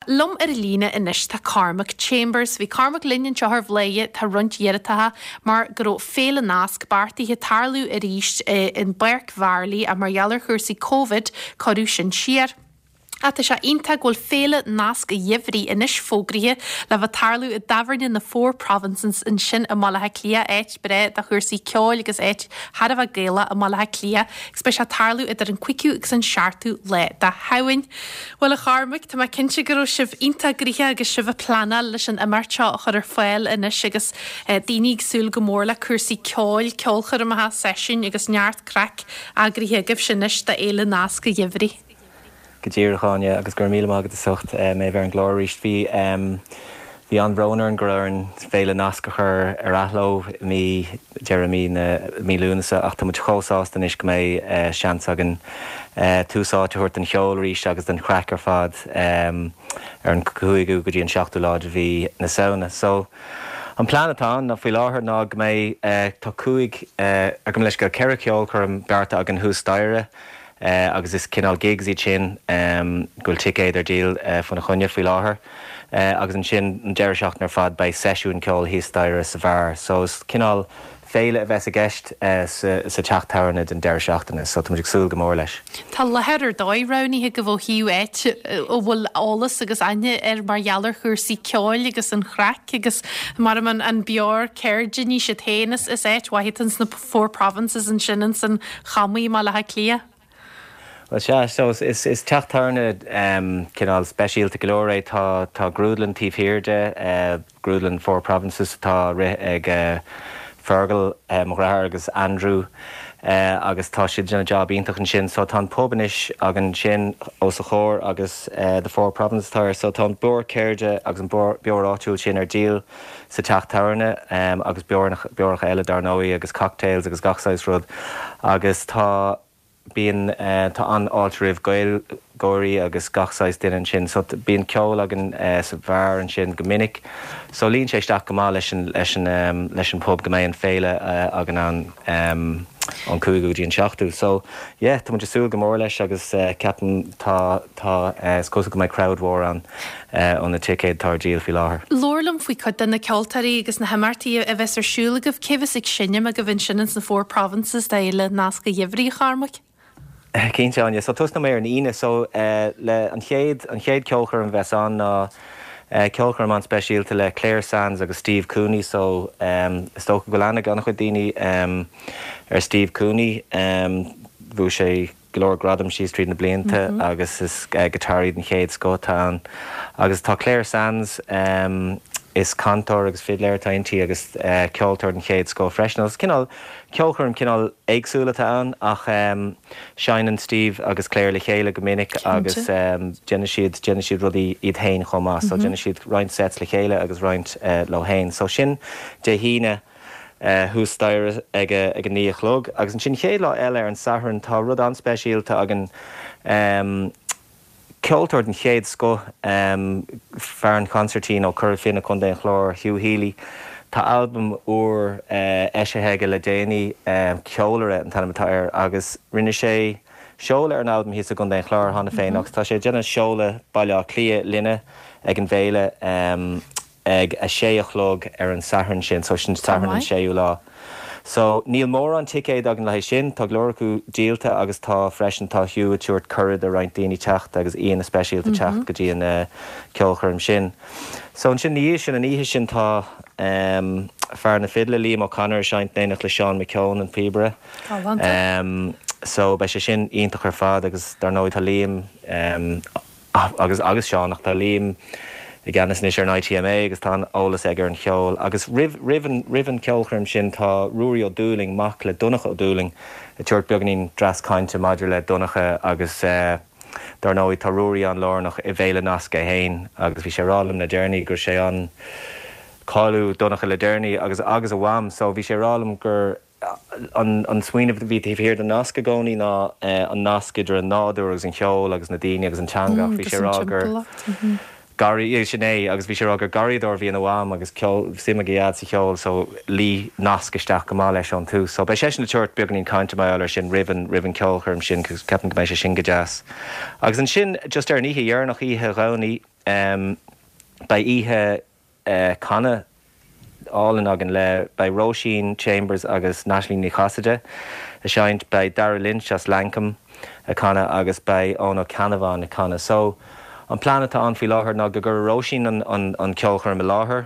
Liom ar an líne anois tá Cormac Chambers. Bhí Cormac linn anseo ar Bhladhaire tá roinnt dheireatacha mar go raibh Féile Nasc beartaithe tarlú arís i bPáirc Mharlaí ach mar gheall ar chúrsaí Covid cuireadh sin siar. Ach tá sé iontach go bhfuil Féile Nasc an Gheimhridh anois fógraithe le bheith tarlú i dtábhairne na Four Provinces ansin i mBaile Átha Cliath, áit breá do chúrsaí ceoil agus áit thar a bheith Gaelach i mBaile Átha Cliath agus beidh sé ag tarlú idir an 5ú agus an 7ú lá de Shamhain. Bhuel, a Chormaic, tá mé cinnte go raibh sibh iontach gnoitheach agus sibh ag pleanáil leis an imeacht seo a chur ar fáil anois agus daoine ag súil go mór le cúrsaí ceoil, ceolchoirmeacha, seisiúin agus neart craic eagraithe agaibhse anois do Fhéile Nasc an Gheimhridh. Go díreach, Áine, agus go raibh míle maith agat as ucht mé a bheith ar an gclár arís. Bhí Bhí an-bhrón orainn go raibh orainn Féile Nasc a chur ar athló i mí, deireadh mí na, mí Lúnasa ach tá muid chomh sásta anois go mbeidh seans againn tús áite a thabhairt don cheol arís agus don chraic ar fad ar an 5ú go dtí an 7ú lá de mhí na Samhna. So, an plean atá ann faoi láthair ná go mbeidh, tá 5, gabh mo leithscéal, 4 cheolchoirm beartaithe againn thuas staighre, agus is cineál gigs iad sin go bhfuil ticéid ar díol faoina choinne faoi láthair. Agus ansin an deireadh seachtaine ar fad beidh seisiúin ceoil thíos staighre sa bheár. So is cineál féile a bheas i gceist sa teach tábhairne don deireadh seachtaine. So tá muid ag súil go mór leis. Tá láthair ar dóigh roghnaithe agaibh ó thaobh áit a bhfuil eolas agus aithne air mar gheall ar chúrsaí ceoil agus an chraic agus mar an beoir ceirde ní siad féin is áit mhaith atá ins na Four Provinces ansin ins an Chamaigh i mBaile Átha Cliath. Bhuel sea, so is is teach tábhairne cineál speisialta go leor é. Tá tá grúdlann taobh thiar de, grúdlann Four Provinces atá á rith ag Fergal, mo dheartháir agus Andrew agus tá siad ag déanamh job iontach ansin. So tá an pub anois againn sin os a chomhair agus The Four Provinces atá air. So tá an beoir ceirde agus an beoir áitiúil sin ar díol. sa teach tábhairne agus beoracha eile dar ndóigh agus cocktails agus gach saghas rud agus tá, bíonn, tá an-fháilte roimh Gaeilgeoirí agus gach saghas duine ansin so bíonn ceol againn sa bheár ansin go minic so luíonn sé isteach go maith leis an, leis an, leis an pub go mbeidh an féile againn ann ón 5ú go dtí an 7ú so yeah tá muid ag súil go mór leis agus ceapaim tá, tá, is cosúil go mbeidh crowd mhór ann. ó na ticéid atá ar díol faoi láthair. Labhair liom faoi cuid de na ceoltóirí agus na himeachtaí a bheas ar siúl agaibh. Cé bheas ag seinm agaibh ansin ins na Four Provinces d'Fhéile Nasc an Gheimhridh, a Chormaic? Cinnte, Áine. So tosnóidh mé ar an Aoine. So le an chéad, an chéad ceolchoirm a bheas ann ná ceolchoirm an-speisialta le Clare Sands agus Steve Cooney. So is dócha go bhfuil aithne ag an-chuid daoine ar Steve Cooney. Bhuaigh sé go leor gradam síos tríd na blianta agus is giotáraí den chéad scoth atá ann. Agus tá Clare Sands, is cantóir agus fidléir atá inti agus ceoltóir den chéad scoth freisin. Agus cineál ceolchoirm cineál éagsúil atá ann ach seinneann Steve agus Clare le chéile go minic agus déanann siad, déanann siad rudaí iad féin chomh maith. So déanann siad roinnt sets le chéile agus roinnt leo féin. So sin Dé hAoine. thuas staighre ag a 9 a chlog. Agus ansin chéad lá eile ar an Satharn tá rud an-speisialta againn, ceoltóir den chéad scoth, fear an chonsairtín ó Chora Finne, Contae an Chláir, Hugh Healy. Tá albam úr eisithe aige le déanaí, Ceolaire an t-ainm atá air, agus rinne sé seoladh ar an albam thíos i gContae an Chláir cheana féin agus tá sé ag déanamh seoladh Baile Átha Cliath linne ag an bhféile. ag a sé a chlog ar an Satharn sin, so sin Satharn an séú lá. So níl mórán ticéad againn le haghaidh sin, tá go leor acu díolta agus tá freisin, tá Hugh ag tabhairt cuireadh do roinnt daoine teacht agus aíonna speisialta teacht go dtí an ceolchoirm sin. So ansin ina dhiaidh sin, an oíche sin tá fear na fidle, Liam O'Connor ag seinnt in éineacht le Seán McKeown, an píobaire. Galánta. So beidh sé sin iontach ar fad agus dar ndóigh tá Liam, agus agus Seán, ach tá Liam i gceannas anois ar an ITMA agus tá an-eolas aige ar an cheol. Agus roimh roimh an roimh an cheolchoirm sin tá Ruairí Ó Dúlaing, mac le Donncha Ó Dúlaing, ag tabhairt beagáinín dreas cainte maidir le Donncha agus dar ndóigh tá Ruairí an-lárnach i bhFéile Nasc é féin agus bhí sé ag rá liom le deireanaí go raibh sé an cailleadh Donncha le deireanaí agus agus a mham so bhí sé ag rá liom gur An smaoineamh a bhí taobh thiar den nasc i gcónaí ná an nasc idir an nádúr agus an cheol agus na daoine agus an teanga ach bhí sé ag rá gur garraí, sin é, agus bhí sé ag rá gur garraíodóir a bhí ina mham agus ceol, suim ag a dhaid sa cheol so luigh nasc isteach go maith leis ón tús. So beidh seisean ag tabhairt beagáinín cainte mar gheall air sin roimh an, roimh an ceolchoirm sin cos ceapaim go mbeidh sé sin go deas. Agus ansin just ar an oíche dheireanach, oíche Dhomhnaigh. Beidh oíche canadh álainn againn le, beidh Róisín Chambers agus Natalie Ní Chasaide ag seinnt, beidh Dara Lynch as Lankum ag canadh agus beidh Eoin Ó Ceannabháin ag canadh. So, an plean atá ann faoi láthair ná go gcuirfidh Róisín an ceolchoirm i láthair,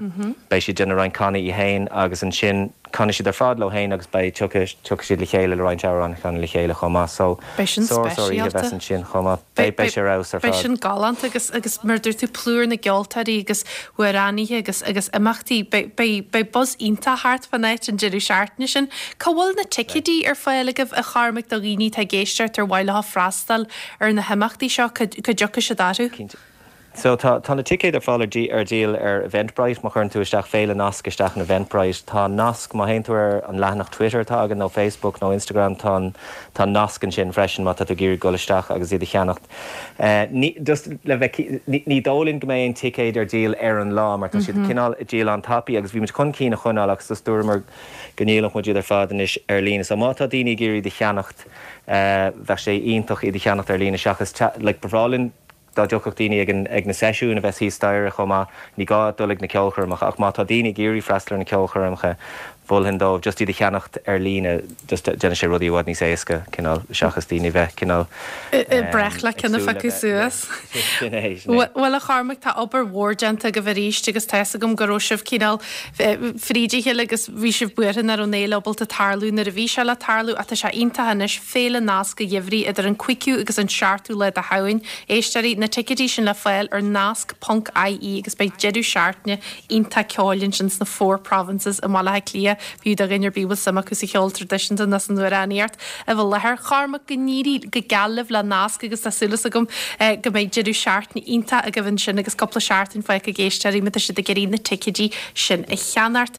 beidh sí ag déanamh roinnt canadh í fhéin agus ansin canfaidh siad ar fad leo fhéin agus beidh, tiocfaidh, tiocfaidh siad le chéile le roinnt amhrán a chanadh le chéile chomh maith. So, Beidh sin sár, sár oíche a bheas speisialta. ansin chomh maith. Beidh, beidh sé ar fheabhas ar Beidh fad. sin galánta agus, agus mar a dúirt tú, plúr na gceoltóirí agus amhránaithe agus, agus imeachtaí. Beidh, beidh, beidh buzz iontach thart fán áit an deireadh seachtaine sin. Cá bhfuil na ticéidí ar fáil agaibh, a Chormaic, do dhaoine atá ag éisteacht ar mhaith leo freastal ar na himeachtaí seo, cá, cá dtiocfaidh siad orthu? Cinnte. So tá, tá na ticéid ar fáil ar dí, ar díol ar Eventbrite, má chuireann tú isteach Féile Nasc isteach in Eventbrite. Tá nasc, má théann tú ar an leathanach Twitter atá againn nó Facebook nó Instagram, tá an, tá nasc ansin freisin má tá tú ag iarraidh dul isteach agus iad a cheannacht. Ní, just le bheith ci, ní, ní dóigh linn go mbeidh aon ticéid ar díol ar an lá mar tá siad cineál ag díol an-tapaidh agus bhí muid chun cinn a choinneáil agus just dúramar go ndíolfadh muid iad ar fad anois ar líne. So má tá daoine ag iarraidh iad a cheannacht, bheadh sé iontach iad a cheannacht ar líne seachas, like, ba bhreá linn, Dá dtiocfadh daoine ag an, ag na seisiúin a bheas thíos staighre chomh maith, ní gá dul ag na ceolchoirmeacha ach má tá daoine ag iarraidh freastal ar na ceolchoirmeacha, mholfainn dóibh just iad a cheannacht ar líne, just déanann sé rudaí i bhfad níos éasca, cineál, seachas daoine a bheith cineál Ag breith le ag ceann a súil le phiocadh bheith, suas. yeah, sin é, sin é. Bhuel, a Chormaic, tá obair mhór déanta agaibh arís agus tá fhios agam go raibh sibh cineál fríd a chéile agus bhí sibh buartha nach raibh an fhéile ábalta tarlú nuair a bhí sé le tarlú ach tá sé iontach anois Féile Nasc an Gheimhridh idir an 5ú agus an 7ú lá de Shamhain. Éisteoirí, na ticéidí sin le fáil ar nasc ponc ie agus beidh deireadh seachtaine iontach ceoil ansin sna Four Provinces i mBaile Átha Cliath, b'fhiú do dhuine ar bith a bhfuil suim acu sa cheol traidisiúnta nó san amhránaíocht a bheith i láthair. Chormaic, go n-éirí go geal libh le Nasc agus tá súil agam go mbeidh deireadh seachtaine iontach agaibh ansin agus cúpla seachtain fágtha ag éisteoirí má tá siad ag iarraidh na ticéidí sin a cheannacht.